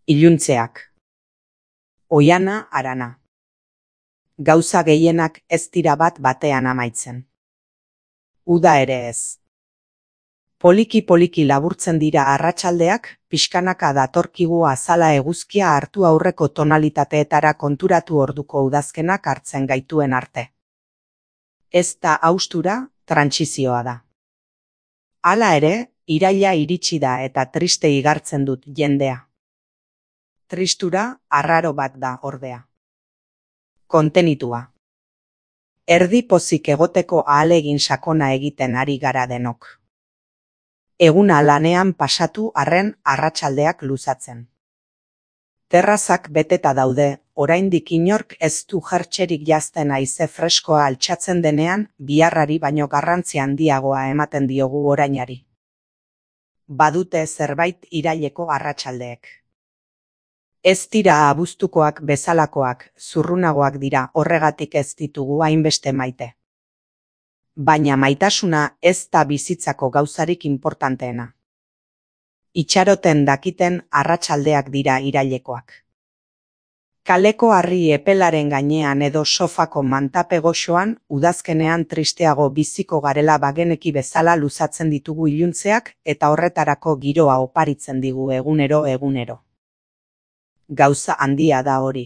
Iluntzeak. Oiana harana. Gauza gehienak ez dira bat batean amaitzen. Uda ere ez. Poliki laburtzen dira arratsaldeak, pixkanaka datorkigu azala eguzkia hartu aurreko tonalitateetara konturatu orduko udazkenak hartzen gaituen arte. Ez da haustura, trantsizioa da. Hala ere, iraila iritsi da eta triste igartzen dut jendea. Tristura arraro bat da ordea. Kontenitua. Erdi pozik egoteko ahalegin sakona egiten ari gara denok. Eguna lanean pasatu arren arratsaldeak luzatzen. Terrazak beteta daude, oraindik inork ez du jertxerik jazten haize freskoa altxatzen denean, biharrari baino garrantzi handiagoa ematen diogu orainari. Badute zerbait iraileko arratsaldeek. Ez dira abuztukoak bezalakoak, zurrunagoak dira, horregatik ez ditugu hainbeste maite. Baina maitasuna ez da bizitzako gauzarik inportanteena. Itxaroten dakiten arratsaldeak dira irailekoak. Kaleko harri epelaren gainean edo sofako mantape goxoan, udazkenean tristeago biziko garela bageneki bezala luzatzen ditugu iluntzeak eta horretarako giroa oparitzen digu egunero. Gauza handia da hori.